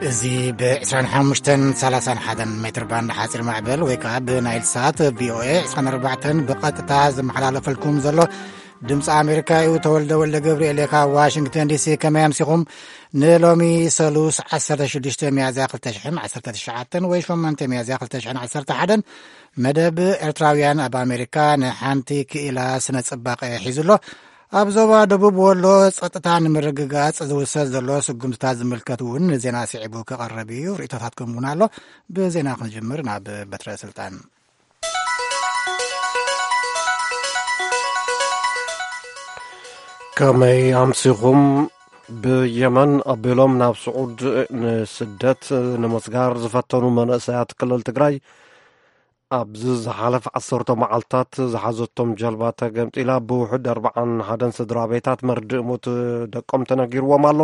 እዚ ብ25ን 31 ሜትር ባንድ ሓፂር ማዕበል ወይ ከዓ ብናይል ሳት ቪኦኤ 24 ብቐጥታ ዝመሓላለፈልኩም ዘሎ ድምፂ ኣሜሪካ እዩ። ተወልደ ወልደ ገብርኤል እየ ካብ ዋሽንግተን ዲሲ። ከመይ ኣምሲኹም? ንሎሚ ሰሉስ 16 ሚያዝያ 2019 ወይ 8 ሚያዝያ 2011 መደብ ኤርትራውያን ኣብ ኣሜሪካ ንሓንቲ ክኢላ ስነ ጽባቐ ሒዙ ኣሎ። ኣብ ዞባ ደቡብ ወሎ ጸጥታ ንምርግጋጽ ዝውሰድ ዘሎ ስጉምትታት ዝምልከት እውን ዜና ስዒቡ ክቐርብ እዩ። ርእይቶታትኩም እውን ኣሎ። ብዜና ክንጅምር ናብ በትረ ስልጣን። ከመይ ኣምሲኹም? ብየመን ኣቢሎም ናብ ስዑድ ንስደት ንምስጋር ዝፈተኑ መንእሰያት ክልል ትግራይ ኣብዚ ዝሓለፈ ዓሰርተ መዓልታት ዝሓዘቶም ጀልባ ተገምጢላ ብውሑድ ኣርብዓን ሓደን ስድራ ቤታት መርድእ ሞት ደቆም ተነጊርዎም ኣሎ።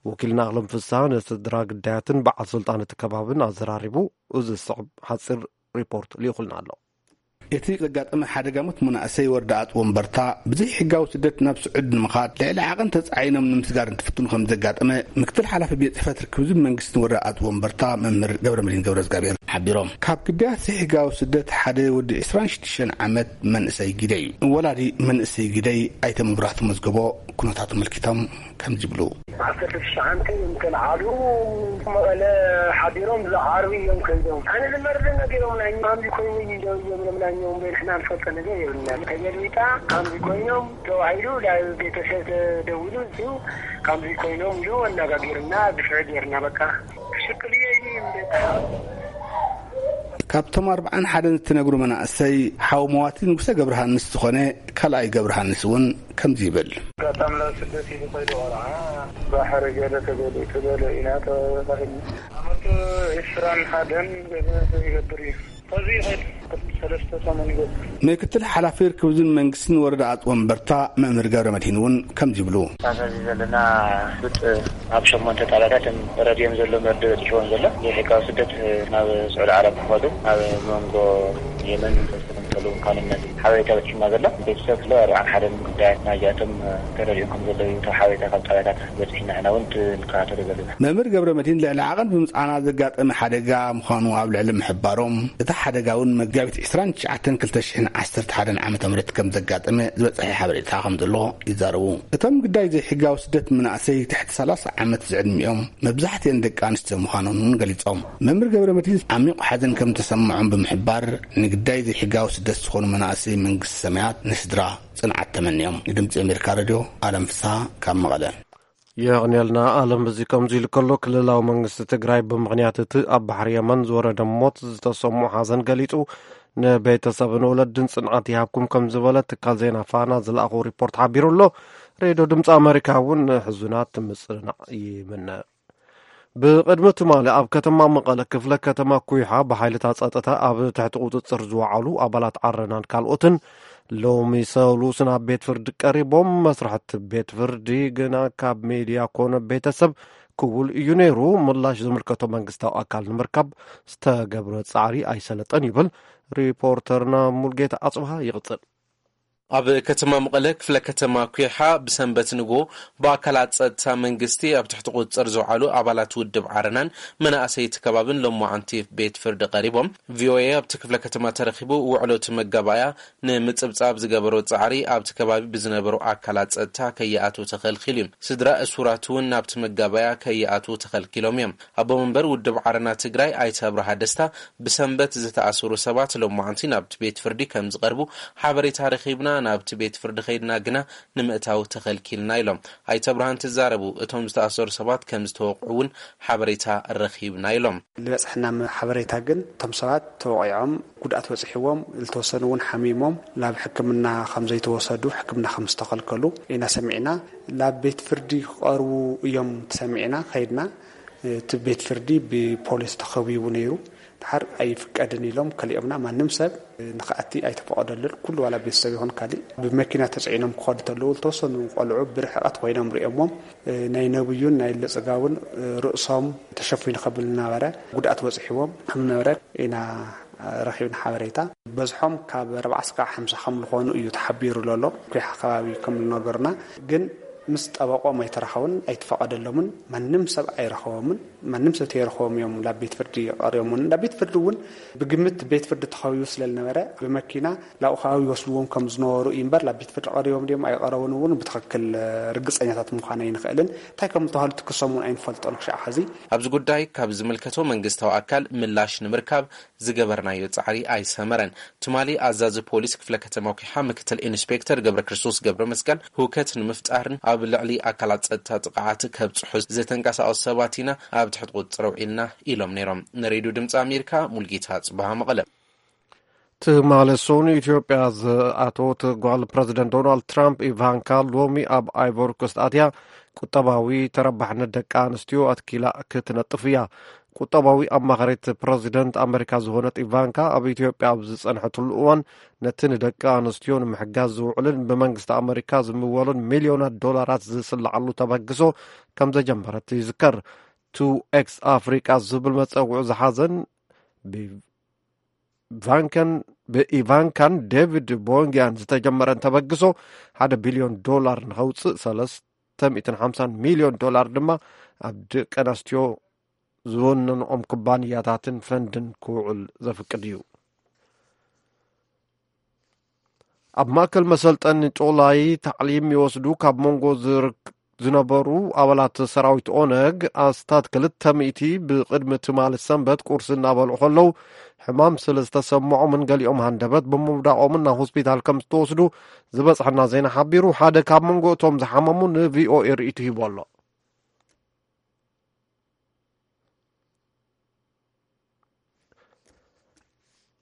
ወኪልና ኣለም ፍስሃ ንስድራ ግዳያትን በዓል ስልጣን እቲ ከባብን ኣዘራሪቡ እዚ ዝስዕብ ሓፂር ሪፖርት ልኢኹልና ኣሎ። እቲ ዘጋጠመ ሓደጋ ሞት መናእሰይ ወረዳ ኣጽ ወንበርታ ብዘይ ሕጋዊ ስደት ናብ ስዑድ ንምኻድ ልዕሊ ዓቐን ተጻዒኖም ንምስጋር እንትፍትኑ ከም ዘጋጠመ ምክትል ሓላፊ ቤት ጽሕፈት ርክብዝን መንግስትን ወረዳ ኣጽ ወንበርታ መምህር ገብረ መድህን ገብረ እግዚኣብሔር ሓቢሮም። ካብ ግዳያት ዘይሕጋዊ ስደት ሓደ ወዲ 26 ዓመት መንእሰይ ግደይ እዩ። ወላዲ መንእሰይ ግደይ ኣይተ መብራህቱ መዝገቦ ኩነታቱ መልኪቶም ከምዚ ይብሉ። 19 እዮም ተልዓሉ። መቐለ ሓዲሮም ዝዓርቢ እዮም ከይዶም። ኣነ ዝመርድ ነጊሮም ናይ ማምዚ ኮይኑ ይደው እዮም ለምናኛውም በይ ንሕና ንፈልጦ ነገር የብልና። ተገልቢጣ ከምዚ ኮይኖም ተባሂሉ ናብ ቤተሰብ ተደውሉ እዚሁ ከምዚ ኮይኖም ኢሉ ኣነጋጊርና ድፍዕ ጌርና በቃ። ሽቅልየ እዩ እንደ ካብቶም ኣርብዓን ሓደን እትነግሩ መናእሰይ ሓው መዋቲ ንጉሰ ገብረሃንስ ዝኾነ ካልኣይ ገብረሃንስ እውን ከምዚ ይብል። ኣጋጣሚ ናብ ስደት እዩ ዝኸይዱ ቆልዓ ባሕሪ ገለ ተገሊጡ ገለ ኢና ተባሂልና። ዓመቱ ዕስራን ሓደን ገለ ይገብር እዩ። ከዚ ይኸይድ ሰለስተ ሰሙን ይገብር። ምክትል ሓላፊ ርክብዝን መንግስትን ወረዳ ኣጽ ወንበርታ መምህር ገብረ መድሂን እውን ከምዚ ይብሉ። ኣብዚ ዘለና ብጥ ኣብ ሸሞንተ ጣብያታት ረድዮም ዘሎ መርድእ በፂሕዎም ዘሎ ዘይሕጋዊ ስደት ናብ ስዑዲ ዓረብ ክኸዱ ኣብ መንጎ የመን ዝተመሰሉ ምዃኖም ነዚ ሓበሬታ በፂሕና ዘሎ። ቤተሰብ ክሎ ኣርብዓን ሓደን ጉዳያት ናይዚኣቶም ተረዲኦም ከም ዘለዉ እዩ። እቶም ሓበሬታ ካብ ጣብያታት በፂሕና ኢና እውን ክንከታተሎ ዘለና። መምህር ገብረ መድሂን ልዕሊ ዓቐን ብምፅዓና ዘጋጠመ ሓደጋ ምዃኑ ኣብ ልዕሊ ምሕባሮም፣ እቲ ሓደጋ እውን መጋቢት 29 2011 ዓ ም ከም ዘጋጠመ ዝበፅሐ ሓበሬታ ከም ዘሎ ይዛረቡ። እቶም ግዳይ ዘይሕጋዊ ስደት መናእሰይ ትሕቲ 30 ዓመት ዝዕድሚኦም መብዛሕትኤን ደቂ ኣንስትዮ ምዃኖም እውን ገሊጾም። መምህር ገብረ መድሂን ዓሚቕ ሓዘን ከም ተሰምዖም ብምሕባር፣ ንግዳይ ዘይሕጋዊ ስደት ዝኾኑ መናእሰይ መንግስቲ ሰማያት ንስድራ ጽንዓት ተመንዮም። ንድምጺ ኣሜሪካ ሬድዮ ኣለም ፍስሃ ካብ መቐለ። የቕንየልና ኣለም። እዚ ከምዚ ኢሉ ከሎ፣ ክልላዊ መንግስቲ ትግራይ ብምኽንያት እቲ ኣብ ባሕሪ የመን ዝወረደ ሞት ዝተሰምዖ ሓዘን ገሊጹ፣ ንቤተሰብን ወለድን ጽንዓት ይሃብኩም ከም ዝበለ ትካል ዜና ፋና ዝለኣኾ ሪፖርት ሓቢሩ ኣሎ። ሬድዮ ድምፂ ኣሜሪካ እውን ንሕዙናት ምጽንናዕ ይምነ። ብቕድሚ ትማሊ ኣብ ከተማ መቐለ ክፍለ ከተማ ኩይሓ ብሓይልታት ጸጥታ ኣብ ትሕቲ ቁጽጽር ዝወዓሉ ኣባላት ዓረናን ካልኦትን ሎሚ ሰሉስ ናብ ቤት ፍርዲ ቀሪቦም። መስራሕቲ ቤት ፍርዲ ግና ካብ ሜድያ ኮነ ቤተሰብ ክቡል እዩ ነይሩ። ምላሽ ዝምልከቶ መንግስታዊ ኣካል ንምርካብ ዝተገብረ ጻዕሪ ኣይሰለጠን ይብል ሪፖርተርና ሙልጌታ ኣጽብሃ። ይቕጽል። ኣብ ከተማ መቐለ ክፍለ ከተማ ኩይሓ ብሰንበት ንግሆ ብኣካላት ጸጥታ መንግስቲ ኣብ ትሕቲ ቁጽጽር ዝውዓሉ ኣባላት ውድብ ዓረናን መናእሰይ እቲ ከባብን ሎማዓንቲ ቤት ፍርዲ ቀሪቦም። ቪኦኤ ኣብቲ ክፍለ ከተማ ተረኺቡ ውዕሎ እቲ መጋባእያ ንምጽብጻብ ዝገበሮ ጻዕሪ ኣብቲ ከባቢ ብዝነበሩ ኣካላት ጸጥታ ከይኣትዉ ተኸልኪሉ እዩ። ስድራ እሱራት እውን ናብቲ መጋባእያ ከይኣትዉ ተኸልኪሎም እዮም። ኣቦ መንበር ውድብ ዓረና ትግራይ ኣይተ ኣብርሃ ደስታ ብሰንበት ዝተኣሰሩ ሰባት ሎማዓንቲ ናብቲ ቤት ፍርዲ ከም ዝቐርቡ ሓበሬታ ረኺብና፣ ናብቲ ቤት ፍርዲ ከይድና ግና ንምእታው ተኸልኪልና ኢሎም ኣይተ ኣብርሃ እንትዛረቡ፣ እቶም ዝተኣሰሩ ሰባት ከም ዝተወቕዑ እውን ሓበሬታ ረኺብና ኢሎም። ዝበፅሐና ሓበሬታ ግን እቶም ሰባት ተወቒዖም ጉድኣት በፂሕዎም፣ ዝተወሰኑ እውን ሓሚሞም ናብ ሕክምና ከም ዘይተወሰዱ፣ ሕክምና ከም ዝተኸልከሉ ኢና ሰሚዕና። ናብ ቤት ፍርዲ ክቐርቡ እዮም ተሰሚዕና ከይድና። እቲ ቤት ፍርዲ ብፖሊስ ተኸቢቡ ነይሩ። ድሓር ኣይፍቀድን ኢሎም ከሊኦምና። ማንም ሰብ ንኽኣቲ ኣይተፈቐደሉን። ኩሉ ዋላ ቤተሰብ ይኹን ካሊእ ብመኪና ተፅዒኖም ክኸዱ ተለዉ ዝተወሰኑ ቆልዑ ብርሕቐት ኮይኖም ሪኦሞም፣ ናይ ነብዩን ናይ ለፅጋውን ርእሶም ተሸፊኑ ከብል እናበረ ጉድኣት በፂሕዎም ከም ነበረ ኢና ረኺብና ሓበሬታ። በዝሖም ካብ ኣርባዓ እስካብ ሓምሳ ከም ዝኾኑ እዩ ተሓቢሩ ዘሎ። ኩይሓ ከባቢ ከም ዝነገሩና ግን ምስ ጠበቆም ኣይተራኸቡን ኣይተፈቐደሎምን። ማንም ሰብ ኣይረኸቦምን። ማንም ሰብ ተይረኸቦም እዮም ናብ ቤት ፍርዲ ቀሪቦምን። ናብ ቤት ፍርዲ እውን ብግምት ቤት ፍርዲ ተኸቢቡ ስለ ዝነበረ ብመኪና ናብኡ ከባቢ ይወስድዎም ከም ዝነበሩ እዩ እምበር ናብ ቤት ፍርዲ ቀሪቦም ድዮም ኣይቀረቡን እውን ብትኽክል ርግፀኛታት ምዃን ኣይንኽእልን። እንታይ ከም ዝተባህሉ ትክሶም እውን ኣይንፈልጦን ክሻዕ ሕዚ። ኣብዚ ጉዳይ ካብ ዝምልከቶ መንግስታዊ ኣካል ምላሽ ንምርካብ ዝገበርናዮ ጻዕሪ ኣይሰመረን። ትማሊ ኣዛዚ ፖሊስ ክፍለ ከተማ ኩሓ ምክትል ኢንስፔክተር ገብረ ክርስቶስ ገብረ መስቀል ህውከት ንምፍጣርን ኣብ ልዕሊ ኣካላት ጸጥታ ጥቕዓት ከብጽሑ ዝተንቀሳቐሱ ሰባት ኢና ኣብ ትሕቲ ቁጽጥር ኣውዒልና ኢሎም ነይሮም። ንሬድዮ ድምፂ ኣሜሪካ ሙልጌታ ጽባሃ መቐለ። ትማሊ ሰኑይ ኢትዮጵያ ዝኣተወት ጓል ፕረዚደንት ዶናልድ ትራምፕ ኢቫንካ ሎሚ ኣብ ኣይቮሪ ኮስት ኣትያ ቁጠባዊ ተረባሕነት ደቂ ኣንስትዮ ኣትኪላ ክትነጥፍ እያ። ቁጠባዊ ኣማኻሪት ፕረዚደንት ኣመሪካ ዝኾነት ኢቫንካ ኣብ ኢትዮጵያ ኣብ ዝጸንሐትሉ እዋን ነቲ ንደቂ ኣንስትዮ ንምሕጋዝ ዝውዕልን ብመንግስቲ ኣመሪካ ዝምወልን ሚልዮናት ዶላራት ዝስልዓሉ ተበግሶ ከም ዘጀመረት ይዝከር። ቱ ኤክስ ኣፍሪቃ ዝብል መጸውዒ ዝሓዘን ብ ቫንከን ብኢቫንካን ዴቪድ ቦንጊያን ዝተጀመረን ተበግሶ ሓደ ቢልዮን ዶላር ንኸውፅእ ሰለስተ ሚእትን ሓምሳን ሚልዮን ዶላር ድማ ኣብ ደቂ ኣንስትዮ ዝወነንኦም ኩባንያታትን ፈንድን ክውዕል ዘፍቅድ እዩ። ኣብ ማእከል መሰልጠኒ ጮላይ ታዕሊም ይወስዱ ካብ መንጎ ዝርክ- ዝነበሩ ኣባላት ሰራዊት ኦነግ ኣስታት ክልተ ሚእቲ ብቕድሚ ትማሊ ሰንበት ቁርሲ እናበልዑ ከለዉ ሕማም ስለ ዝተሰምዖምን ገሊኦም ሃንደበት ብምውዳቖምን ናብ ሆስፒታል ከም ዝተወስዱ ዝበጽሐና ዜና ሓቢሩ። ሓደ ካብ መንጎ እቶም ዝሓመሙ ንቪኦኤ ርእይቱ ሂቡ ኣሎ።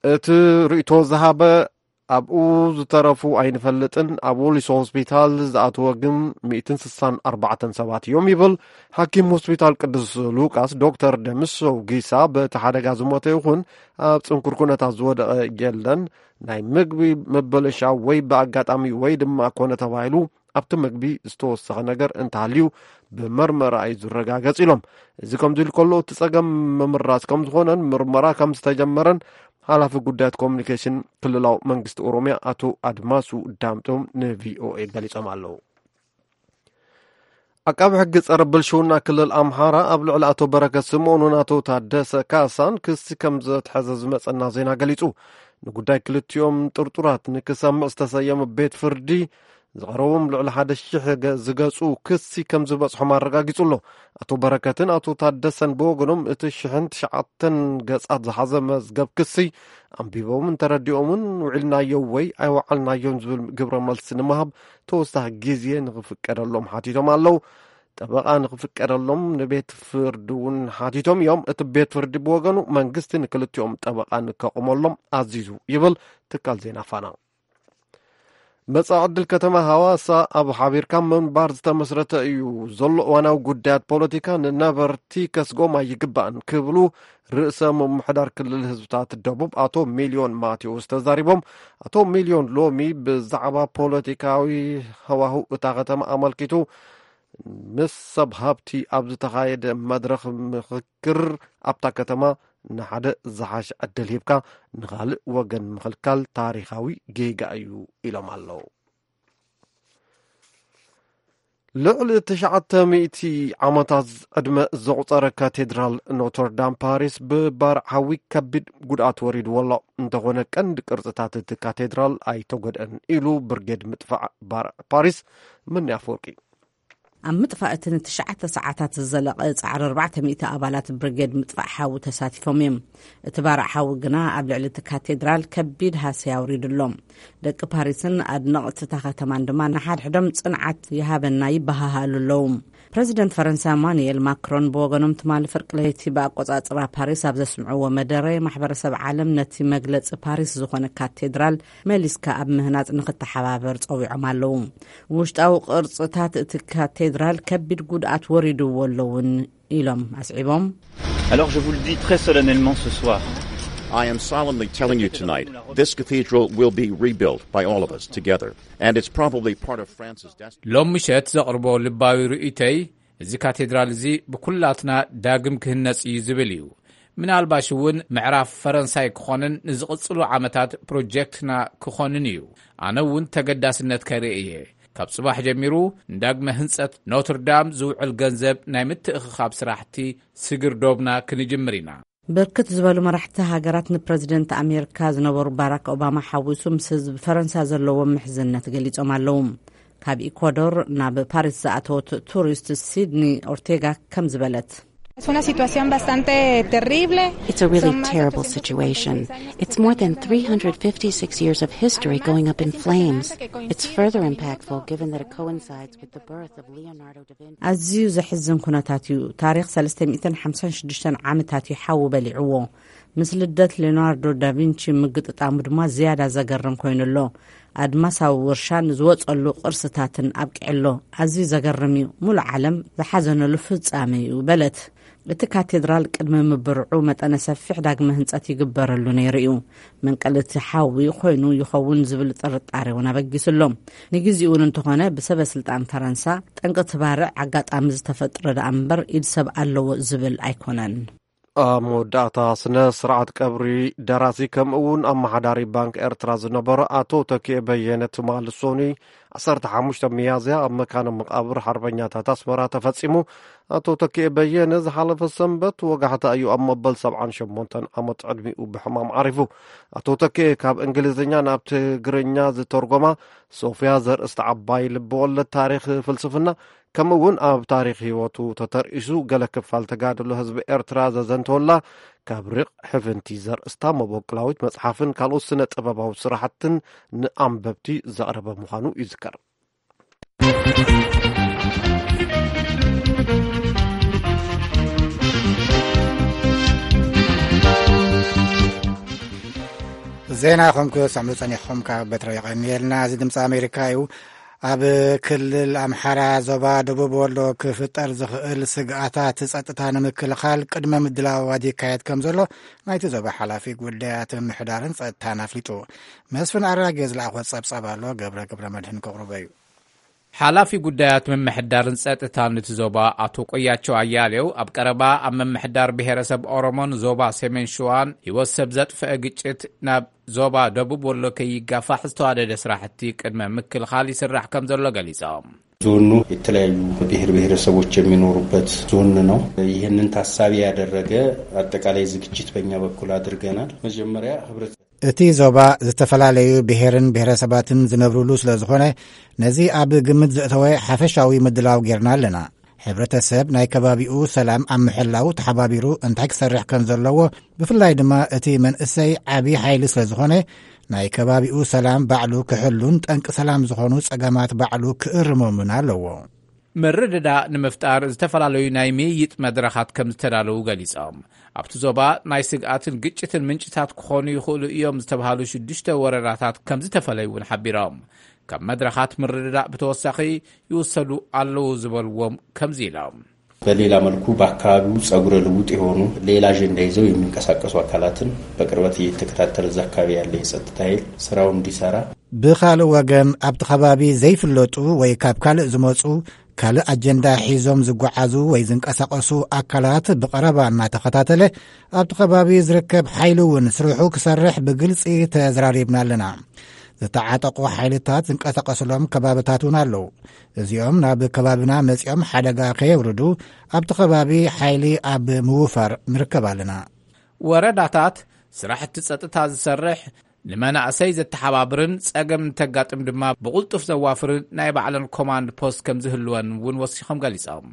እቲ ርእይቶ ዝሃበ ኣብኡ ዝተረፉ ኣይንፈልጥን፣ ኣብ ወሊሶ ሆስፒታል ዝኣተወ ግን ሚእትን ስሳን ኣርባዕተን ሰባት እዮም ይብል። ሓኪም ሆስፒታል ቅዱስ ሉቃስ ዶክተር ደምሰው ጊሳ በቲ ሓደጋ ዝሞተ ይኹን ኣብ ጽንኩር ኩነታት ዝወደቐ የለን። ናይ ምግቢ ምብልሻው ወይ ብኣጋጣሚ ወይ ድማ ኮነ ተባሂሉ ኣብቲ ምግቢ ዝተወሰኸ ነገር እንተሃልዩ ብመርመራ እዩ ዝረጋገጽ ኢሎም። እዚ ከምዚ ኢሉ ከሎ እቲ ጸገም ምምራዝ ከም ዝኾነን ምርመራ ከም ዝተጀመረን ሓላፊ ጉዳያት ኮሚኒኬሽን ክልላዊ መንግስቲ ኦሮሚያ ኣቶ ኣድማሱ ዳምጦም ንቪኦኤ ገሊጾም ኣለዉ። ዓቃቢ ሕጊ ጸረ ብልሽውና ክልል ኣምሓራ ኣብ ልዕሊ ኣቶ በረከት ስምኦንን ኣቶ ታደሰ ካሳን ክሲ ከም ዘትሐዘ ዝመጸና ዜና ገሊጹ። ንጉዳይ ክልቲኦም ጥርጡራት ንክሰምዕ ዝተሰየመ ቤት ፍርዲ ዝቐረቦም ልዕሊ ሓደ ሽሕ ገ- ዝገጹ ክሲ ከም ዝበጽሖም ኣረጋጊጹ ኣሎ። ኣቶ በረከትን ኣቶ ታደሰን ብወገኖም እቲ ሽሕን ትሽዓተን ገጻት ዝሓዘ መዝገብ ክሲ ኣንቢቦምን ተረዲኦምን ውዒልናዮ ወይ ኣይወዓልናዮን ዝብል ግብረ መልሲ ንምሃብ ተወሳኺ ግዜ ንኽፍቀደሎም ሓቲቶም ኣለዉ። ጠበቓ ንኽፍቀደሎም ንቤት ፍርዲ እውን ሓቲቶም እዮም። እቲ ቤት ፍርዲ ብወገኑ መንግስቲ ንክልቲኦም ጠበቓ ንከቑመሎም ኣዚዙ ይብል ትካል ዜና ፋና። መጻኢ ዕድል ከተማ ሃዋሳ ኣብ ሓቢርካ ምንባር ዝተመስረተ እዩ። ዘሎ እዋናዊ ጉዳያት ፖለቲካ ንነበርቲ ከስጎም ኣይግባእን ክብሉ ርእሰ ምምሕዳር ክልል ህዝብታት ደቡብ ኣቶ ሚልዮን ማቴዎስ ተዛሪቦም። ኣቶ ሚልዮን ሎሚ ብዛዕባ ፖለቲካዊ ሃዋህው እታ ከተማ ኣመልኪቱ ምስ ሰብ ሃብቲ ኣብ ዝተኻየደ መድረኽ ምኽክር ኣብታ ከተማ ንሓደ ዝሓሸ ዕድል ሂብካ ንኻልእ ወገን ምኽልካል ታሪኻዊ ጌጋ እዩ ኢሎም ኣለዉ። ልዕሊ ትሽዓተ ሚእቲ ዓመታት ዕድመ ዘቑጸረ ካቴድራል ኖተርዳም ፓሪስ ብባርዕ ሓዊ ከቢድ ጉድኣት ወሪድዎ ኣሎ። እንተኾነ ቀንዲ ቅርጽታት እቲ ካቴድራል ኣይተጎድአን ኢሉ ብርጌድ ምጥፋእ ባርዕ ፓሪስ ምኒ ኣፈወርቂ። ኣብ ምጥፋእ እቲ ንትሽዓተ ሰዓታት ዝዘለቐ ጻዕሪ ኣርባዕተ ሚእቲ ኣባላት ብርጌድ ምጥፋእ ሓዊ ተሳቲፎም እዮም። እቲ ባርዕ ሓዊ ግና ኣብ ልዕሊ እቲ ካቴድራል ከቢድ ሃሰያ ኣውሪዱ ኣሎ። ደቂ ፓሪስን ኣድነቕቲ እታ ከተማን ድማ ንሓድሕዶም ጽንዓት ይሃበና ይበሃሃሉ ኣለዉ። ፕረዚደንት ፈረንሳ ኢማኑኤል ማክሮን ብወገኖም ትማሊ ፍርቂ ለይቲ ብኣቆጻጽራ ፓሪስ ኣብ ዘስምዕዎ መደረ ማሕበረሰብ ዓለም ነቲ መግለጺ ፓሪስ ዝኾነ ካቴድራል መሊስካ ኣብ ምህናጽ ንኽተሓባበር ጸዊዖም ኣለዉ። ውሽጣዊ ቅርጽታት እቲ ካቴድራል ከቢድ ጉድኣት ወሪድዎ ኣሎ እውን ኢሎም ኣስዒቦም። Alors je vous le dis très solennellement ce soir. I am solemnly telling you tonight, this cathedral will be rebuilt by all of us together, and it's probably part of France's destiny. ሎም ምሸት ዘቕርቦ ልባዊ ርእይቶይ፣ እዚ ካቴድራል እዚ ብኩላትና ዳግም ክህነጽ እዩ ዝብል እዩ። ምናልባሽ እውን ምዕራፍ ፈረንሳይ ክኾንን ንዝቕጽሉ ዓመታት ፕሮጀክትና ክኾንን እዩ። ኣነ እውን ተገዳስነት ከርኢ እየ። ካብ ጽባሕ ጀሚሩ ንዳግመ ህንጸት ኖትርዳም ዝውዕል ገንዘብ ናይ ምትእኽኻብ ስራሕቲ ስግር ዶብና ክንጅምር ኢና። ብርክት ዝበሉ መራሕቲ ሃገራት ንፕረዚደንት ኣሜሪካ ዝነበሩ ባራክ ኦባማ ሓዊሱ ምስ ህዝቢ ፈረንሳ ዘለዎም ምሕዝነት ገሊጾም ኣለዉ። ካብ ኢኳዶር ናብ ፓሪስ ዝኣተወት ቱሪስት ሲድኒ ኦርቴጋ ከም ዝበለት፣ Es una situación bastante terrible. It's a really terrible situation. It's more than three hundred fifty-six years of history going up in flames. It's further impactful given that it coincides with the birth of Leonardo da Vinci. ኣዝዩ ዘሕዝን ኩነታት እዩ። ታሪኽ ሰለስተ ሚእትን ሓምሳን ሽዱሽተን ዓመታት እዩ ሓዊ በሊዕዎ። ምስ ልደት ሌናርዶ ዳቪንቺ ምግጥጣሙ ድማ ዝያዳ ዘገርም ኮይኑ ኣሎ። ኣድማሳዊ ውርሻን ዝወጸሉ ቅርስታትን ኣብቂዕሎ። ኣዝዩ ዘገርም እዩ። ሙሉእ ዓለም ዝሓዘነሉ ፍጻመ እዩ በለት። እቲ ካቴድራል ቅድሚ ምብርዑ መጠነ ሰፊሕ ዳግመ ህንጸት ይግበረሉ ነይሩ እዩ። መንቀሊ እቲ ሓዊ ኮይኑ ይኸውን ዝብል ጥርጣሬ እውን ኣበጊሱ ኣሎ። ንግዜኡ እውን እንተኾነ ብሰበ ስልጣን ፈረንሳ ጠንቂ እቲ ባርዕ ኣጋጣሚ ዝተፈጥረ ደኣ እምበር ኢድ ሰብ ኣለዎ ዝብል ኣይኮነን። ኣብ መወዳእታ ስነ ስርዓት ቀብሪ ደራሲ ከምኡ እውን ኣመሓዳሪ ባንክ ኤርትራ ዝነበረ ኣቶ ተኪኤ በየነ ትማል ሶኒ ዓሰርተ ሓሙሽተ ሚያዝያ ኣብ መካነ መቃብር ሓርበኛታት ኣስመራ ተፈጺሙ። ኣቶ ተኪኤ በየነ ዝሓለፈ ሰንበት ወጋሕታ እዩ ኣብ መበል ሰብዓን ሸሞንተን ዓመት ዕድሚኡ ብሕማም ዓሪፉ። ኣቶ ተኪኤ ካብ እንግሊዝኛ ናብ ትግርኛ ዝተርጎማ ሶፍያ ዘርእስቲ ዓባይ ልብወለድ ታሪኽ ፍልስፍና ከምኡ እውን ኣብ ታሪኽ ህይወቱ ተተርኢሱ ገለ ክፋል ተጋድሎ ህዝቢ ኤርትራ ዘዘንተወላ ካብ ርቕ ሕፍንቲ ዘርእስታ መበቆላዊት መጽሓፍን ካልኦት ስነ ጥበባዊ ስራሕትን ንኣንበብቲ ዘቕረበ ምዃኑ ይዝከር። ዜና ኹም ክሰምዑ ጸኒሕኹም ካብ በትሮ የቐንየልና። እዚ ድምፂ ኣሜሪካ እዩ። ኣብ ክልል ኣምሓራ ዞባ ደቡብ ወሎ ክፍጠር ዝኽእል ስግኣታት ጸጥታ ንምክልኻል ቅድመ ምድላዋት ይካየድ ከም ዘሎ ናይቲ ዞባ ሓላፊ ጉዳያት ምምሕዳርን ጸጥታን ኣፍሊጡ። መስፍን ኣራጌ ዝለኣኾ ጸብጻብ ኣሎ፣ ገብረ ገብረ መድህን ከቕርቦ እዩ። ሓላፊ ጉዳያት ምምሕዳርን ጸጥታን እቲ ዞባ ኣቶ ቆያቸው ኣያሌው ኣብ ቀረባ ኣብ ምምሕዳር ብሔረሰብ ኦሮሞን ዞባ ሰሜን ሸዋን ህይወት ሰብ ዘጥፍአ ግጭት ናብ ዞባ ደቡብ ወሎ ከይጋፋሕ ዝተዋደደ ስራሕቲ ቅድመ ምክልኻል ይስራሕ ከም ዘሎ ገሊጾም። ዞኑ የተለያዩ ብሔር ብሔረሰቦች የሚኖሩበት ዞን ነው። ይህንን ታሳቢ ያደረገ አጠቃላይ ዝግጅት በእኛ በኩል አድርገናል። መጀመሪያ ህብረት እቲ ዞባ ዝተፈላለዩ ብሔርን ብሔረሰባትን ዝነብሩሉ ስለ ዝኾነ ነዚ ኣብ ግምት ዘእተወ ሓፈሻዊ ምድላው ጌርና ኣለና። ሕብረተሰብ ናይ ከባቢኡ ሰላም ኣብ ምሕላው ተሓባቢሩ እንታይ ክሰርሕ ከም ዘለዎ፣ ብፍላይ ድማ እቲ መንእሰይ ዓቢ ሓይሊ ስለ ዝኾነ ናይ ከባቢኡ ሰላም ባዕሉ ክሕሉን ጠንቂ ሰላም ዝኾኑ ጸገማት ባዕሉ ክእርሞምን ኣለዎ። ምርድዳእ ንምፍጣር ዝተፈላለዩ ናይ ምይይጥ መድረኻት ከም ዝተዳለዉ ገሊጾም። ኣብቲ ዞባ ናይ ስግኣትን ግጭትን ምንጭታት ክኾኑ ይኽእሉ እዮም ዝተባሃሉ ሽዱሽተ ወረዳታት ከም ዝተፈለዩ እውን ሓቢሮም። ካብ መድረኻት ምርድዳእ ብተወሳኺ ይውሰዱ ኣለዉ ዝበልዎም ከምዚ ኢሎም። በሌላ መልኩ በአካባቢው ጸጉረ ልውጥ የሆኑ ሌላ አጀንዳ ይዘው የሚንቀሳቀሱ አካላትን በቅርበት እየተከታተለ እዛ አካባቢ ያለ የጸጥታ ኃይል ስራው እንዲሰራ። ብኻልእ ወገን ኣብቲ ከባቢ ዘይፍለጡ ወይ ካብ ካልእ ዝመጹ ካልእ ኣጀንዳ ሒዞም ዝጓዓዙ ወይ ዝንቀሳቐሱ ኣካላት ብቐረባ እናተኸታተለ ኣብቲ ከባቢ ዝርከብ ሓይሊ እውን ስርሑ ክሰርሕ ብግልጺ ተዘራሪብና ኣለና። ዝተዓጠቑ ሓይልታት ዝንቀሳቐስሎም ከባብታት እውን ኣለዉ። እዚኦም ናብ ከባብና መጺኦም ሓደጋ ከየውርዱ ኣብቲ ከባቢ ሓይሊ ኣብ ምውፋር ንርከብ ኣለና። ወረዳታት ስራሕቲ ጸጥታ ዝሰርሕ፣ ንመናእሰይ ዘተሓባብርን ጸገም እንተጋጥም ድማ ብቕልጡፍ ዘዋፍርን ናይ ባዕለን ኮማንድ ፖስት ከም ዝህልወን እውን ወሲኾም ገሊጾም።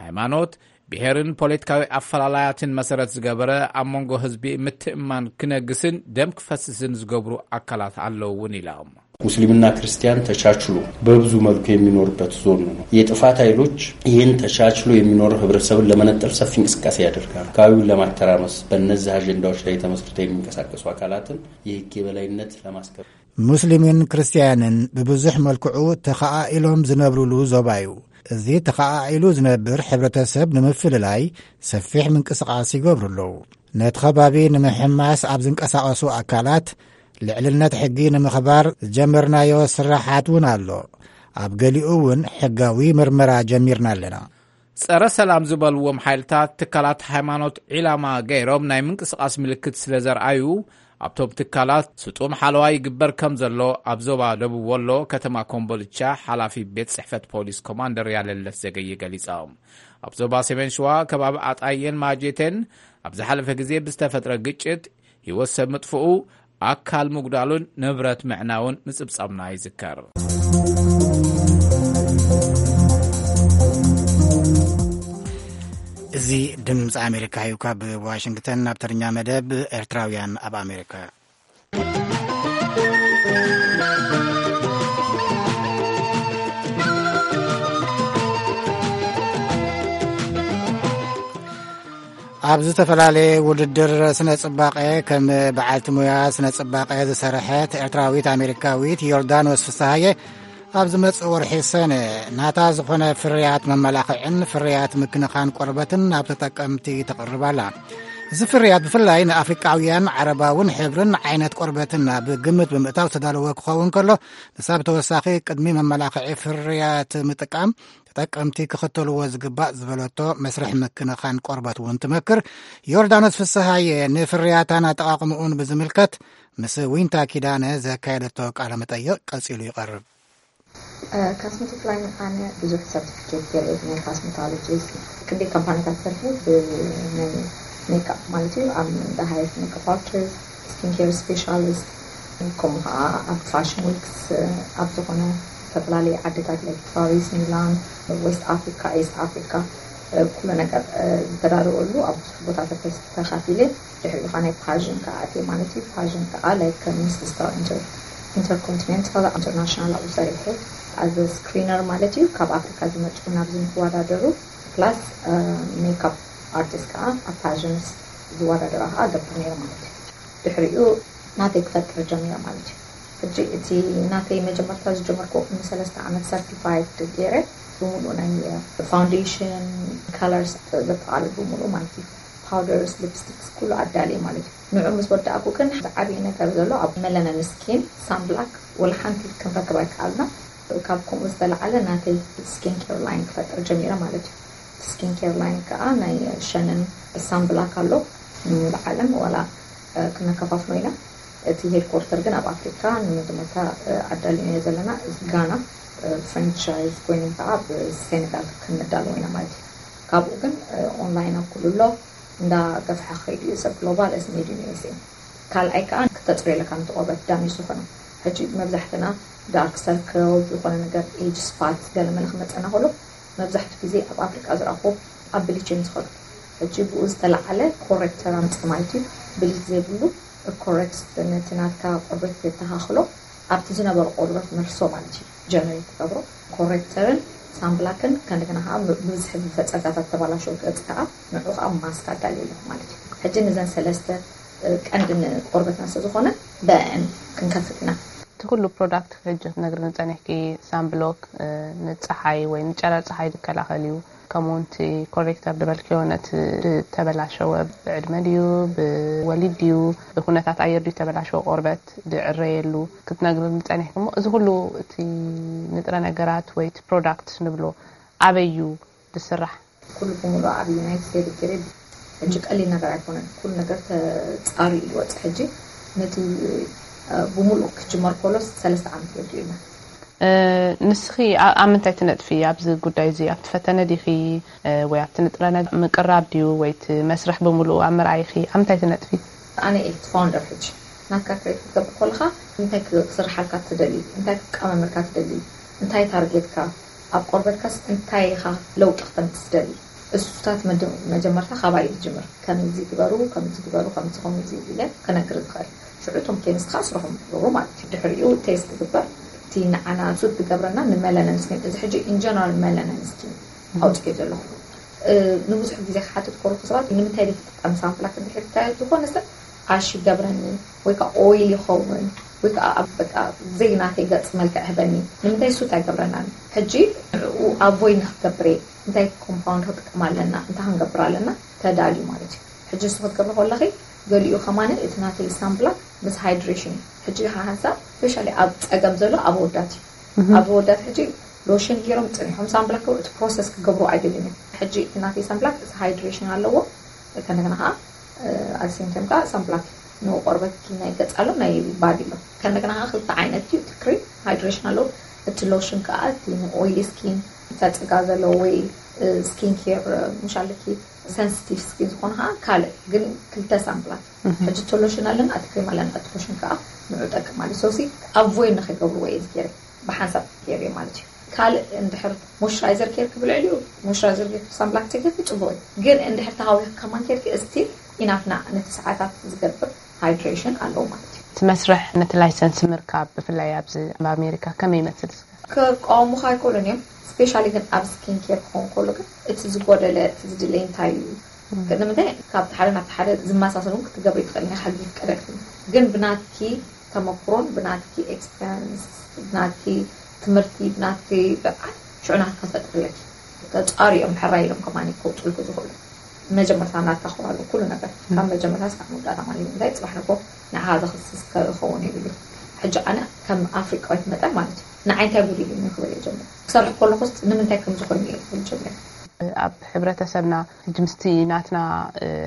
ሃይማኖት፣ ብሔርን ፖለቲካዊ ኣፈላላያትን መሰረት ዝገበረ ኣብ መንጎ ህዝቢ ምትእማን ክነግስን ደም ክፈስስን ዝገብሩ ኣካላት ኣለዉ እውን ኢሎም። ሙስሊምና ክርስቲያን ተቻችሎ በብዙ መልኩ የሚኖርበት ዞን ነው። የጥፋት ኃይሎች ይህን ተቻችሎ የሚኖር ህብረተሰብን ለመነጠል ሰፊ እንቅስቃሴ ያደርጋሉ። አካባቢውን ለማተራመስ በእነዚህ አጀንዳዎች ላይ ተመስርተው የሚንቀሳቀሱ አካላትን የህግ የበላይነት ለማስከበር ሙስሊምን ክርስቲያንን ብብዙሕ መልክዑ ተኸኣኢሎም ዝነብሩሉ ዞባ እዩ። እዚ ተኸኣኢሉ ዝነብር ሕብረተሰብ ንምፍልላይ ሰፊሕ ምንቅስቓስ ይገብሩ ኣለዉ። ነቲ ከባቢ ንምሕማስ ኣብ ዝንቀሳቐሱ ኣካላት ልዕልነት ሕጊ ንምኽባር ዝጀመርናዮ ስራሓት እውን ኣሎ። ኣብ ገሊኡ እውን ሕጋዊ ምርመራ ጀሚርና ኣለና። ጸረ ሰላም ዝበልዎም ሓይልታት ትካላት ሃይማኖት ዒላማ ገይሮም ናይ ምንቅስቓስ ምልክት ስለ ዘርኣዩ ኣብቶም ትካላት ስጡም ሓለዋ ይግበር ከም ዘሎ ኣብ ዞባ ደቡብ ወሎ ከተማ ኮምቦልቻ ሓላፊ ቤት ጽሕፈት ፖሊስ ኮማንደር ያለለስ ዘገየ ገሊጾም። ኣብ ዞባ ሰሜን ሸዋ ከባቢ ኣጣየን ማጀቴን ኣብ ዝሓለፈ ግዜ ብዝተፈጥረ ግጭት ህይወት ሰብ ምጥፍኡ፣ ኣካል ምጉዳሉን ንብረት ምዕናውን ምጽብጻብና ይዝከር። እዚ ድምፂ ኣሜሪካ እዩ። ካብ ዋሽንግተን ናብ ትግርኛ መደብ ኤርትራውያን ኣብ ኣሜሪካ። ኣብ ዝተፈላለየ ውድድር ስነ ጽባቐ ከም በዓልቲ ሙያ ስነ ጽባቐ ዝሰርሐት ኤርትራዊት ኣሜሪካዊት ዮርዳኖስ ፍስሃየ ኣብ ዝመጽእ ወርሒ ሰነ ናታ ዝኾነ ፍርያት መመላኽዕን ፍርያት ምክንኻን ቆርበትን ናብ ተጠቀምቲ ተቕርብ ኣላ። እዚ ፍርያት ብፍላይ ንኣፍሪቃውያን ዓረባውን ሕብርን ዓይነት ቆርበትን ኣብ ግምት ብምእታው ዝተዳለወ ክኸውን ከሎ፣ ንሳ ብተወሳኺ ቅድሚ መመላኽዒ ፍርያት ምጥቃም ተጠቀምቲ ክኽተልዎ ዝግባእ ዝበለቶ መስርሕ ምክንኻን ቆርበት እውን ትመክር። ዮርዳኖስ ፍስሃየ ንፍርያታን ኣጠቓቕምኡን ብዝምልከት ምስ ዊንታ ኪዳነ ዘካየደቶ ቃለ መጠይቕ ቀጺሉ ይቐርብ። ካስሜቲክ ላይን ኣነ ብዙሕ ሰርቲፊኬት ገለ ናይ ካስሜቶሎጂስት ክንደይ ካምፓኒታት ሰርሑ ብናይ ሜክኣፕ ማለት እዩ ኣብ ሃይስት ሜክኣፕ ኣርቲስት ስኪን ኬር ስፔሻሊስት ከምኡ ከዓ ኣብ ፋሽን ዊክስ ኣብ ዝኾነ ዝተፈላለዩ ዓድታት ላይ ፓሪስ ሚላን ዌስት ኣፍሪካ ኢስት ኣፍሪካ ኩሉ ነገር ዝተዳለወሉ ኣብ ብዙሕ ቦታታት ተካፊለ ድሕሪኡ ከዓ ናይ ፓዥን ከዓ ኣትየ ማለት እዩ ፓዥን ከዓ ላይክ ከም ሚስ ስታር ኢንተርኮንቲኔንታል ኢንተርናሽናል ኣብኡ ሰሪሐ ኣዘ ስክሪነር ማለት እዩ ካብ ኣፍሪካ ዝመፁ ናብዚ ንክወዳደሩ ፕላስ ሜክኣፕ ኣርቲስት ከዓ ኣብ ፓዥንስ ዝወዳደራ ከዓ ገብር ነይረ ማለት እዩ ድሕሪኡ ናተይ ክፈጥር ጀሚረ ማለት እዩ ሕጂ እቲ ናተይ መጀመርታ ዝጀመርኩ ቅድሚ ሰለስተ ዓመት ሰርቲፋይድ ገይረ ብምሉእ ናይ ፋውንዴሽን ካለርስ ዘጠቃልል ብምሉእ ማለት እዩ ፓውደርስ ሊፕስቲክስ ኩሉ ኣዳልየ ማለት እዩ ንዑ ምስ ወዳእኩ ግን ዝዓብየ ነገር ዘሎ ኣብ መለነን ስኪን ሳንብላክ ወላ ሓንቲ ክንረክብ ኣይከኣልና ካብ ከምኡ ዝተለዓለ ናተይ ስኪን ኬር ላይን ክፈጥር ጀሚረ ማለት እዩ ስኪን ኬር ላይን ከዓ ናይ ሸነን ሳንብላክ ኣሎ ንሙሉ ዓለም ዋላ ክነከፋፍሎ ኢና እቲ ሄድኮርተር ግን ኣብ ኣፍሪካ ንመጀመርታ ኣዳሊናዮ ዘለና ጋና ፍራንቻይዝ ኮይኖም ከዓ ብሴኔጋል ክንዳለዎ ኢና ማለት እዩ ካብኡ ግን ኦንላይን ኣብ ኩሉ ኣሎ እንዳ ገፍሐ ከይዱ እዩ ሰብ ግሎባል እዚ ሜድ ኢን ዩኤስኤ ካልኣይ ከዓ ክተፅርዮ ኣለካ ነቲ ቆርበት ዳሜጅ ዝኾነ ሕጂ መብዛሕትና ዳርክ ሰርክል ዝኾነ ነገር ኤጅ ስፓት ገለመለ ክመፀና ከሎ መብዛሕትኡ ግዜ ኣብ ኣፍሪቃ ዝረኣኹ ኣብ ብሊች እዮም ዝኸዱ ሕጂ ብኡ ዝተለዓለ ኮሬክተር ኣምፅእ ማለት እዩ ብሊች ዘይብሉ ኮሬክት ነቲ ናትካ ቆርበት የተኻኽሎ ኣብቲ ዝነበረ ቆርበት መልሶ ማለት እዩ ጀነሬት ትገብሮ ኮሬክተርን ሳንብላክን ከእንደገና ከዓ ብብዝሒ ብፈፀጋታት ተባላሸው ገፅ ከዓ ንዑ ከዓ ማስክ ኣዳልየ ኣለኹ ማለት እዩ ሕጂ ንዘን ሰለስተ ቀንዲ ንቆርበትና ስለ ዝኾነ በአን ክንከፍት ኢና እቲ ኩሉ ፕሮዳክት ሕጂ ክትነግርኒ ፀኒሕኪ ሳንብሎክ ንፀሓይ ወይ ንጨረር ፀሓይ ዝከላኸል እዩ ከምኡ እውን እቲ ኮሬክተር ዝበልክዮ ነቲ ዝተበላሸወ ብዕድመ ድዩ ብወሊድ ድዩ ብኩነታት ኣየር ድዩ ዝተበላሸወ ቆርበት ዝዕረየሉ ክትነግርኒ ፀኒሕኪ እሞ እዚ ኩሉ እቲ ንጥረ ነገራት ወይ እቲ ፕሮዳክት ንብሎ ኣበይ እዩ ዝስራሕ ኩሉ ብምሉእ ኣብ ዩናይትድ ስቴትስ ገይረ ሕጂ ቀሊል ነገር ኣይኮነን ኩሉ ነገር ተፃርዩ ዝወፅእ ሕጂ ነቲ ብምሉእ ክጅመር ከሎ ሰለስተ ዓመት ወዲኡና ንስኺ ኣብ ምንታይ ትነጥፊ ኣብዚ ጉዳይ እዚ ኣብቲ ፈተነ ዲኺ ወይ ኣብቲ ንጥረ ምቅራብ ድዩ ወይ እቲ መስርሕ ብምሉኡ ኣብ ምርኣይኺ ኣብ ምንታይ ትነጥፊ ኣነ እየ ፋውንደር ሕጂ ናትካ ክሬት ክትገብር ከለካ እንታይ ክስርሓልካ ትደሊ እንታይ ክትቀማመልካ ትደሊ እንታይ ታርጌትካ ኣብ ቆርበትካስ እንታይ ኢኻ ለውጢ ክተምፅእ ትደሊ እሱታት መጀመርታ ካባይ ዝጅምር ከምዚ ግበሩ ከምዚ ግበሩ ከምዚ ከምዚ ኢለ ክነግር ዝኽእል ሽዑ እቶም ኬሚስት ከዓ ስርሖም ይገብሩ ማለት እዩ ድሕሪኡ ቴስት ትግበር እቲ ንዓና ሱት ዝገብረና ንመለነን ስኪን እዚ ሕጂ ኢንጀነራል መለነን ስኪን ኣውፅኦ ዘለኹ ንብዙሕ ግዜ ክሓትት ከለኩ ሰባት ንምንታይ ዘይትጥቀም ሳምፕላት እንድሕር ዝኮነ ሰብ ኣሽ ይገብረኒ ወይ ከዓ ኦይል ይኸውን ወይ ከዓ በቃ ዘይናተይ ገፅ መልክዕ ህበኒ ንምንታይ ሱት ኣይገብረናን ሕጂ ንዕኡ ኣቮይድ ንክገብር እየ እንታይ ኮምፓውንድ ክጥቀም ኣለና እንታይ ክንገብር ኣለና ተዳልዩ ማለት እዩ ሕጂ ንሱ ክትገብሪ ከለኺ ገሊኡ ከማን እቲ ናተይ ሳምፕላት ምስ ሃይድሬሽን እዩ ሕጂ ሓንሳብ ስፔሻሊ ኣብ ፀገም ዘሎ ኣብ ኣወዳት እዩ ኣብ ኣወዳት ሕጂ ሎሽን ገይሮም ፅኒሖም ሳምፕላት እቲ ፕሮሰስ ክገብሩ ኣይደልን እዮም ሕጂ እቲ ናተይ ሳምፕላት እዚ ሃይድሬሽን ኣለዎ ከነገና ከዓ ኣሴም ታይም ከዓ ሳምፕላት ንቆርበት ናይ ገጽ ኣሎ ናይ ባዲ ኣሎ። ከእንደገና ከዓ ክልተ ዓይነት እዩ እቲ ክሪም ሃይድሬሽን ኣለዉ። እቲ ሎሽን ከዓ እቲ ንኦይሊ ስኪን ፈፀጋ ዘለዎ ወይ ስኪን ኬር ምሻለኪ ሰንስቲቭ ስኪን ዝኾነ ከዓ ካልእ ግን ክልተ ሳምፕላት ሕጂ እቲ ሎሽን ኣለና እቲ ክሪም ኣለና እቲ ሎሽን ከዓ ንዑ ጠቅም ማለት ሰውሲ ኣቮይድ ንከይገብርዎ እየ ዝገይረ ብሓንሳብ ገይረ ማለት እዩ። ካልእ እንድሕር ሞይስቸራይዘር ኬር ክብል ዕልዩ ሞይስቸራይዘር ጌርኪ ሳንብላክ ተገፊ ጽቡቅ እዩ። ግን እንድሕር ተሃዊኽ ከማን ኬርኪ እስቲል ኢናፍና ነቲ ሰዓታት ዝገብር ሃይድሬሽን ኣለዎ ማለት እዩ። እቲ መስርሕ ነቲ ላይሰንስ ምርካብ ብፍላይ ኣብዚ ኣብ ኣሜሪካ ከመይ ይመስል? ክቃወሙኻ ኣይክእሉን እዮም። ስፔሻሊ ግን ኣብ ስኪን ኬር ክኸውን ከሎ ግን እቲ ዝጎደለ እቲ ዝድለይ እንታይ እዩ? ንምንታይ ካብቲ ሓደ ናብቲ ሓደ ዝመሳሰሉ ክትገብሪ ትኽእል ኢኻ ሕጊ ይፍቀደልኪ። ግን ብናትኪ ተመክሮን ብናትኪ ኤክስፐሪንስ ብናትኪ ትምህርቲ ብናትኪ ብዓል ሽዑ ናትካ ትፈጥሪ ኣለኪ። ተጻሩ እዮም ሕራይ ኢሎም ከማን ከውፅልኩ ዝኽእሉ። መጀመርታ ናትካ ክኾን ኣለዎ ኩሉ ነገር ካብ መጀመርታ ስካብ መወዳእታ ማለት እዩ። እንታይ ፅባሕ ንግሆ ንዓኻ ዘኽስስ ክኸውን የብሉ። ሕጂ ኣነ ከም ኣፍሪቃዊት መጠን ማለት እዩ ንዓይ እንታይ ጉዲሉ እዩ ክብል እየ ጀምር ክሰርሕ ከለኹስ ንምንታይ ከም ዝኾይኑ እየ ክብል ጀምር። ኣብ ሕብረተሰብና ሕጂ ምስቲ ናትና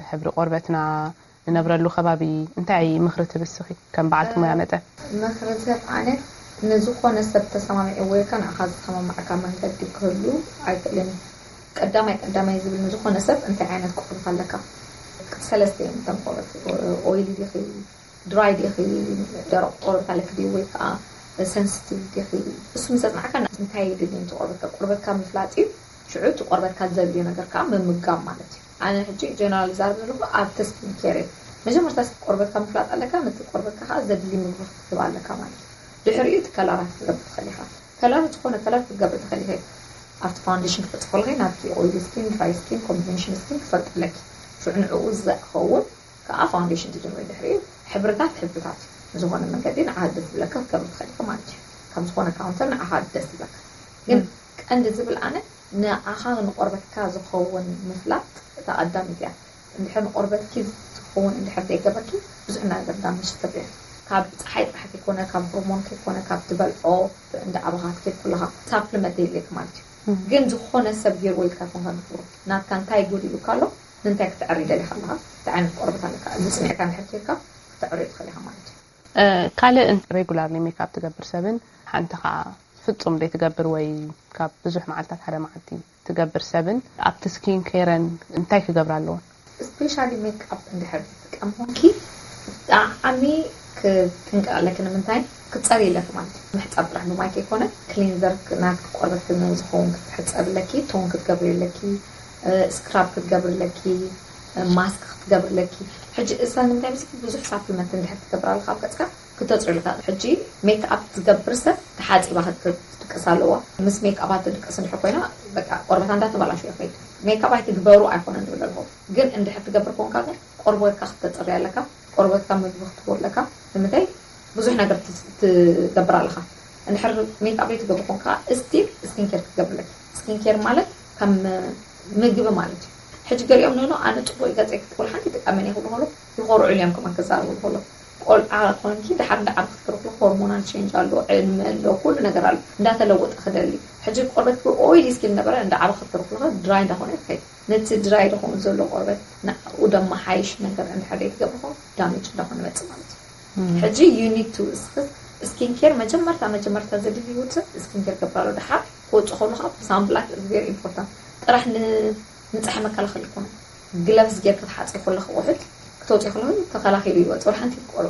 ሕብሪ ቆርበትና ንነብረሉ ከባቢ እንታይ ምኽሪ ትህቢ እስኺ ከም በዓልቲ ሞያ መጠን? ምኽሪ ዝህብ ኣነ ንዝኾነ ሰብ ተሰማሚዕዎ ኢልካ ንዓኻ ዝሰማማዕካ መንገዲ ክህሉ ኣይክእልን እዩ። ቀዳማይ ቀዳማይ ዝብል ንዝኾነ ሰብ እንታይ ዓይነት ቆርበት ኣለካ? ሰለስተ እዮም እቶም ቆርበት፣ ኦይሊ ዲኺ፣ ድራይ ዲኺ፣ ደረቕ ቆርበት ኣለኪ ድዩ ወይ ከዓ ሰንስቲቭ ዲኺ? እሱ ምስ ኣጽናዕካ እንታይ የድሊ እቲ ቆርበትካ? ቆርበትካ ምፍላጥ እዩ። ሽዑ እቲ ቆርበትካ ዘድልዮ ነገር ከዓ ምምጋብ ማለት እዩ። ኣነ ሕጂ ጀነራል ዛረብ ዘለኹ ኣብቲ ስኪን ኬር እዩ። መጀመርታ እስኪ ቆርበትካ ምፍላጥ ኣለካ፣ ነቲ ቆርበትካ ከዓ ዘድሊ ምግቢ ክትህብ ኣለካ ማለት እዩ። ድሕሪኡ እቲ ከላራት ክትገብር ትኽእል ኢኻ። ከላር ዝኾነ ከላር ክትገብር ትኽእል ኢኻ። ኣብቲ ፋውንዴሽን ክትፈጥሪ ከለኺ ናብቲ ኦይሊ ስኪን፣ ድራይ ስኪን፣ ኮምቢኔሽን ስኪን ክትፈልጢ ኣለኪ። ሽዑ ንዕኡ ዝኸውን ከዓ ፋውንዴሽን ትጅምሪ። ድሕሪኡ ሕብርታት ሕብርታት እዩ። ዝኾነ መንገዲ ንዓኻ ደስ ዝብለካ ክትገብር ትኽእል ኢኻ ማለት እዩ። ካብ ዝኾነ ካውንተር ንዓኻ ደስ ዝብለካ ግን ቀንዲ ዝብል ኣነ ንዓኻ ንቆርበትካ ዝኸውን ምፍላጥ እታ ቀዳሚት እያ። እንድሕር ንቆርበትኪ ዝኸውን እንድሕር ዘይገበርኪ ብዙሕ ነገር ዳሜጅ ትገብሪ ኢኺ። ካብ ፀሓይ ጥራሕ ከይኮነ ካብ ሆርሞን ከይኮነ ካብ ትበልዖ እንዳ ዓበኻ ትከድ ከለኻ ሳፕልመንት የድልየካ ማለት እዩ። ግን ዝኾነ ሰብ ገይርዎ ኢልካ ይኮንካ ንክብሩ ናትካ እንታይ ጎዲሉካ ኣሎ ንምንታይ ክትዕሪ ደሊኻ ኣለኻ እንታይ ዓይነት ቆርበት ኣለካ እዚ ፅኒዕካ እንድሕር ኬድካ ክትዕርዮ ትኽእል ኢኻ ማለት እዩ። ካልእ ሬጉላርሊ ሜክኣፕ ትገብር ሰብን ሓንቲ ከዓ ፍጹም ዘይትገብር ወይ ካብ ብዙሕ መዓልታት ሓደ መዓልቲ ትገብር ሰብን ኣብቲ ስኪን ኬረን እንታይ ክገብራ ኣለዎን? ስፔሻሊ ሜክኣፕ እንድሕር ትጥቀም ኮንኪ ብጣዕሚ ክትጥንቀቂ ኣለኪ ንምንታይ ክትፀሪ ኣለኪ ማለት እዩ ምሕፃብ ጥራሕ ብማይ ከይኮነ ክሊንዘር ናትኪ ቆርበት ዝኸውን ክትሕፀቢ ኣለኪ ቶን ክትገብሪ ኣለኪ ስክራብ ክትገብሪ ኣለኪ ማስክ ክትገብሪ ኣለኪ ሕጂ እዛ ንምንታይ ምስኪ ብዙሕ ሳፕሊመንት እንድሕር ትገብር ኣለካ ኣብ ገፅካ ክተፅሪ ኣለካ ሕጂ ሜክኣፕ ትገብር ሰብ ተሓፂባ ክትድቅስ ኣለዋ ምስ ሜክኣፕ ትድቅስ እንድሕር ኮይና በቃ ቆርበታ እንዳተባላሸወ ይኸይድ ሜክኣፕ ኣይትግበሩ ኣይኮነን ዝብል ኣለኹ ግን እንድሕር ትገብር ኮንካ ግን ቆርበትካ ክተፅሪ ኣለካ ቆርበትካ ምግቢ ክትህቦ ኣለካ ንምንታይ ብዙሕ ነገር ትገብር ኣለካ እንድሕር ሜክኣፕ ዘይትገብር ኮንካ ስቲል ስኪን ኬር ክትገብር ኣለኪ ስኪን ኬር ማለት ከም ምግቢ ማለት እዩ ሕጂ ገሊኦም ንኖ ኣነ ፅቡቅ ገፀይ ክትብል ሓንቲ ትቃመን ይኽብሉ ከሎ ይኾርዑ እዮም ከማን ክዛረቡ ከሎ ቆልዓ ኮንኪ ድሓር እንዳ ዓበ ክትከርኩ ሆርሞናል ቼንጅ ኣሎ ዕድመ ኣሎ ኩሉ ነገር ኣሎ እንዳተለወጠ ክደሊ ሕጂ ቆርበት ኦይሊ ስኪን ነበረ እንዳ ዓበ ክትከርኩ ድራይ እንዳኾነ ይኸይድ ነቲ ድራይ ዝኾኑ ዘሎ ቆርበት ንኡ ደመሓይሽ ነገር እንድሕር ዘይትገብርኹ ዳሜጅ እንዳኾነ መፅእ ማለት እዩ ሕጂ you need to እስኪ ስኪን ኬር መጀመርታ መጀመርታ ዘድሊ ህይወት ሰብ ስኪን ኬር ገብራሉ ድሓር ክወፅእ ከሉ ከዓ ሳምፕላት is very important ጥራሕ ንፀሐ መከላኸሊ ይኮነ ግለብስ ጌር ክትሓፀ ከለክ ውሕድ ክተውፅኦ ከለክ ተኸላኺሉ ይወፅእ ሓንቲ ይቆሎ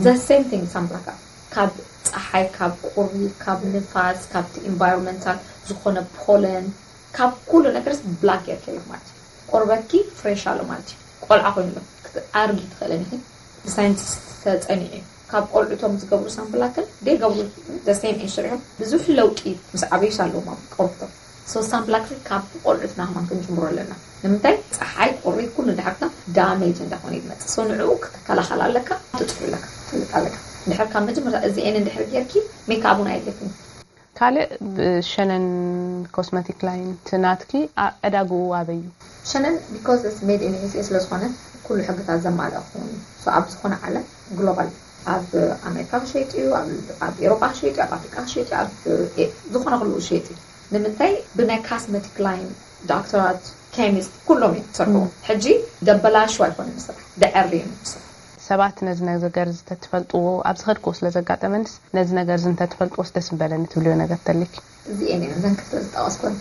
the same thing ሳምፕላካ ካብ ፀሓይ ካብ ቁሪ ካብ ንፋስ ካብቲ ኢንቫይሮንመንታል ዝኾነ ፖለን ካብ ኩሉ ነገርስ ብላክ ጌርኪ ኣለክ ማለት እዩ ቆርበትኪ ፍሬሽ ኣሎ ማለት እዩ ቆልዓ ኮይኑሎ ክትኣርጊ ትኽእለን ኢኺ ብሳይንቲስት ተፀኒዑ እዩ ካብ ቆልዑቶም ዝገብሩ ሳምፕላትን ደይገብሩ the same age ስሪሖም ብዙሕ ለውጢ ምስ ዓበዩስ ኣለዎም ኣብ ቆርብቶም so ሳምፕላትን ካብ ቆልዑትና ከማን ክንጅምሮ ኣለና ንምንታይ ፀሓይ ቁሪ ኩሉ ድሓርትና ዳሜጅ እንዳኾነ ይመፅእ so ንዕኡ ክትከላኸል ኣለካ ትፅሑ ኣለካ ትፈልጥ ኣለካ ድሕር ካብ መጀመርታ እዚኤን እንድሕር ጌርኪ ሜክኣፕ እውን ኣየድልየክን ካልእ ብሸነን ኮስመቲክ ላይን ትናትኪ ዕዳግኡ ኣበይ እዩ? ሸነን because it's made in USA ስለ ዝኾነ ኩሉ ሕግታት ዘማልአ ክኸውን እዩ። So ኣብ ዝኾነ ዓለም ግሎባል ኣብ ኣሜሪካ ክሸይጥ እዩ፣ ኣብ ኤሮጳ ክሸይጥ እዩ፣ ኣብ ኣፍሪቃ ክሸይጥ እዩ፣ ኣብ ዝኾነ ኩሉ ክሸይጥ እዩ። ንምንታይ ብናይ ካስመቲክ ላይን ዶክተራት፣ ኬሚስት ኩሎም እዮም ዝሰርሕዎ። ሕጂ ደበላሽው ኣይኮነን ዝስራሕ፣ ደዐሪ እዮም ዝስራሕ። ሰባት ነዚ ነገር እዚ እንተትፈልጥዎ፣ ኣብዚ ከድክዎ ስለ ዘጋጠመንስ፣ ነዚ ነገር እዚ እንተትፈልጥዎስ ደስ ምበለኒ ትብልዮ ነገር ተልኪ? እዚኤን እየን እዘን ክልተ ዝጠቐስኩን።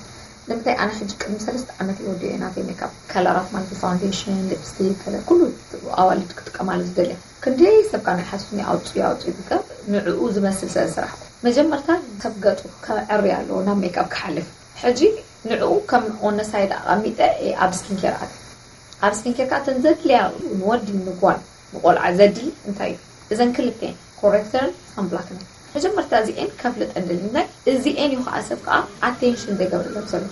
ንምንታይ ኣነ ሕጂ ቅድሚ ሰለስተ ዓመት እየ ወዲኦ ናተይ ሜካፕ፣ ከለራት ማለት ፋውንዴሽን፣ ሊፕስቲክ፣ ከለር ኩሉ ኣዋልድ ክጥቀማሉ ዝደልያ። ክንደይ ሰብ ካን ይሓስብኒ ኣውፅኡ ኣውፅኡ ዝገብ ንዕኡ ዝመስል ስለ ዝሰራሕኩ። መጀመርታ ሰብ ገፁ ከዕሪ ኣለዎ ናብ ሜካፕ ክሓልፍ። ሕጂ ንዕኡ ከም ኦነሳይድ ኣቐሚጠ እየ ኣብ ስኪን ኬር ኣት ኣብ ስኪን ኬር ከዓ ተን ዘድልያ ንወዲ ንጓል ንቆልዓ ዘድሊ እንታይ እዩ? እዘን ክልቴን ኮሬክተርን ሳንብላክን እየን። መጀመርታ እዚኤን ከፍልጠን ደሊ ምክንያት እዚኤን እዩ ከዓ ሰብ ከዓ ኣቴንሽን ዘይገብረለን ዘሎ።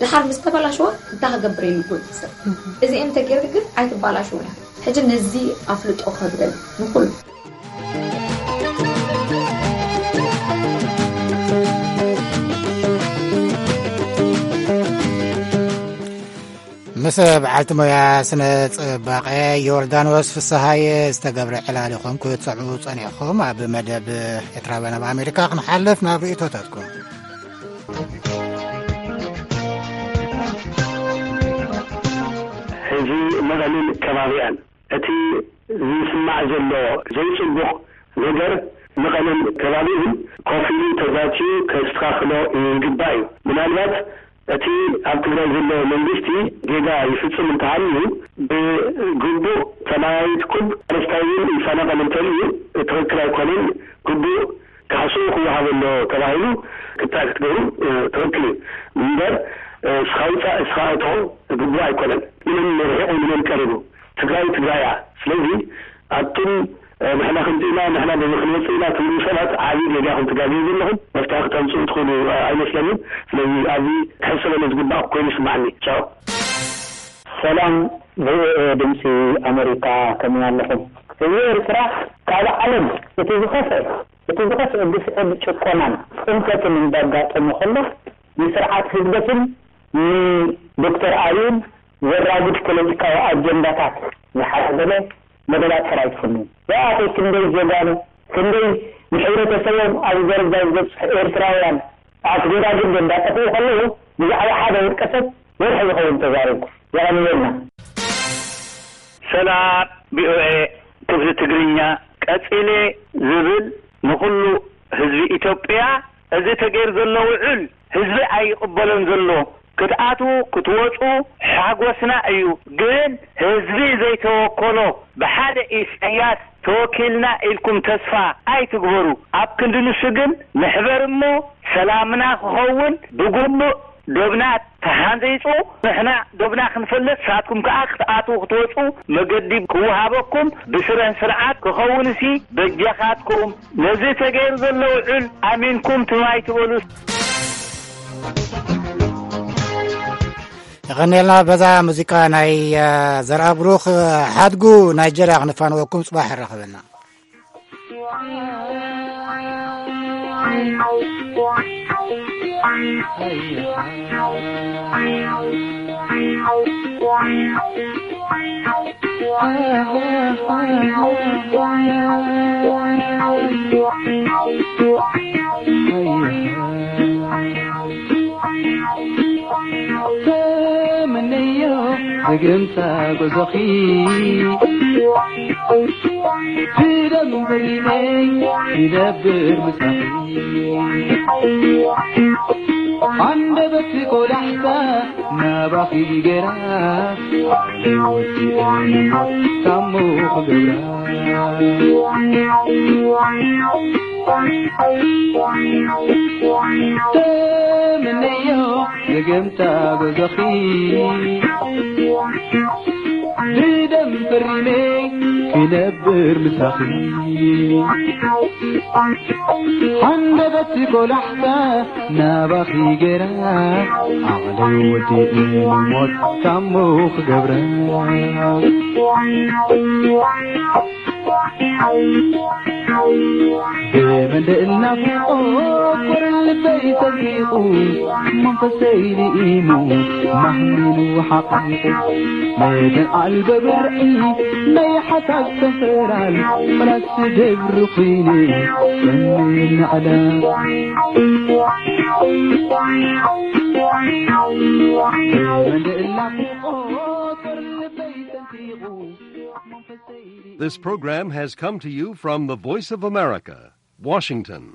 ድሓር ምስ ተበላሸወ እንታይ ክገብር ኢሉ ይጎይት ሰብ። እዚኤን እንተገይርክ ግን ኣይትባላሸውን እያ። ሕጂ ነዚ ኣፍልጦ ክህብ ደሊ ንኩሉ። ምስ በዓልቲ ሞያ ስነ ጽባቐ ዮርዳኖስ ፍስሃየ ዝተገብረ ዕላል ኢኹም ክትሰምዑ ጸኒሕኹም። ኣብ መደብ ኤርትራውያን ኣብ ኣሜሪካ ክንሓልፍ ናብ ርእይቶታትኩም። ሕዚ መቐልን ከባቢኣን እቲ ዝስማዕ ዘሎ ዘይጽቡቕ ነገር መቐለን ከባቢኡን ኮፍ ኢሉ ተዛትዩ ከስተኻኽሎ ይግባእ እዩ። ምናልባት እቲ ኣብ ትግራይ ዘሎ መንግስቲ ጌጋ ይፍጽም እንተሃልዩ ብግቡእ ተመያይጥኩም ሓረስታይ እውን ይፈናቐል እንተልዩ ትኽክል ኣይኮነን፣ ግቡእ ካሕስኡ ክወሃቦ ኣሎ ተባሂሉ ክትዕ ክትገብሩ ትኽክል እዩ እምበር እስኻ ውፃእ እስኻ እቶ ግቡእ ኣይኮነን። ንመን ርሒቑ ንመን ቀሪቡ ትግራይ ትግራይ እያ። ስለዚ ኣቱም ንሕና ከምዚ ኢና ንሕና በዚ ክንወፅእ ኢና ትብሉ ሰባት ዓብዪ ጌጋ ኢኹም ትጋግዩ ዘለኹም። መፍትሒ ክተምፅኡ ትኽእሉ ኣይመስለንን። ስለዚ ኣብዚ ክሕሰበሉ ዝግባእ ኮይኑ ይስማዓኒ። ቻው። ሰላም ቪኦኤ ድምፂ ኣመሪካ ከመይ ኣለኹም? ህዝቢ ኤርትራ ካብ ዓለም እቲ ዝኸፍአ እቲ ዝኸፍአ ግፍዕን ጭቆናን ፅንተትን እንዳጋጠሞ ከሎ ንስርዓት ህግደፍን ንዶክተር ኣብይን ዘራጉድ ፖለቲካዊ ኣጀንዳታት ዝሓዘለ መደባት ጥራይ ትፍንው። ያኣኺ ክንደይ ጀጋኑ ክንደይ ንሕብረተሰቦም ኣብ ደረጃ ዝበፅሑ ኤርትራውያን ኣስገዳግድ እንዳጠፍኡ ከለዉ ብዛዕባ ሓደ ውልቀ ሰብ ወርሒ ዝኸውን ተዛሪብኩ። የቐንየልና። ሰላም ቪኦኤ ክፍሊ ትግርኛ ቀጺለ ዝብል ንኹሉ ህዝቢ ኢትዮጵያ እዚ ተገይሩ ዘሎ ውዕል ህዝቢ ኣይቕበሎን ዘሎ ክትኣትዉ ክትወጹ ሓጎስና እዩ ግን ህዝቢ ዘይተወከሎ ብሓደ ኢሳያስ ተወኪልና ኢልኩም ተስፋ ኣይትግበሩ ኣብ ክንዲ ንሱ ግን ንሕበር እሞ ሰላምና ክኸውን ብግቡእ ዶብና ተሃንጺጹ ንሕና ዶብና ክንፈልጥ ንስኻትኩም ከኣ ክትኣትዉ ክትወጹ መገዲ ክወሃበኩም ብስረን ስርዓት ክኸውንሲ በጃኻትኩም ነዚ ተገይሩ ዘሎ ውዕል ኣሚንኩም ትም ኣይትበሉ። የቐንየልና በዛ ሙዚቃ ናይ ዘርኣብሩኽ ሓድጉ ናይጀርያ ክንፋንወኩም ጽባሕ ይራኸበና። ተመነዮ ዝግርምታ ጉዞኺ ብደም በሊመይ ይነብር ምሳኺ ኣንደበት ቆላሕታ ናባኺ ገራ ኣዕለይ ወዲኤ ንሞት ታሞ ክገብራ ተመነዮ ዘገምታ በዞኺ ብደም ፈሪመ ክነብር ምሳኺ ሓንደበት ቆላሕታ ናባኺ ገራ ዓቕለይ ወዲኤ ንሞት ታሞ ክገብራ ብመንደእ ናፍቆት ኮር ልበይ ሰንጢቑ መንፈሰይ ልኢሙ ማህሚኑ ሓቒቑ መደን ኣልበ ብርዒ ናይ ሓሳብ ሰንፈራል ፈላሲ ደብሪ ኹይነ ጸንየ ንዕላ ብመንደእ ናፍቆት ኮር ልበይ ሰንጢቑ This program has come to you from the Voice of America, Washington.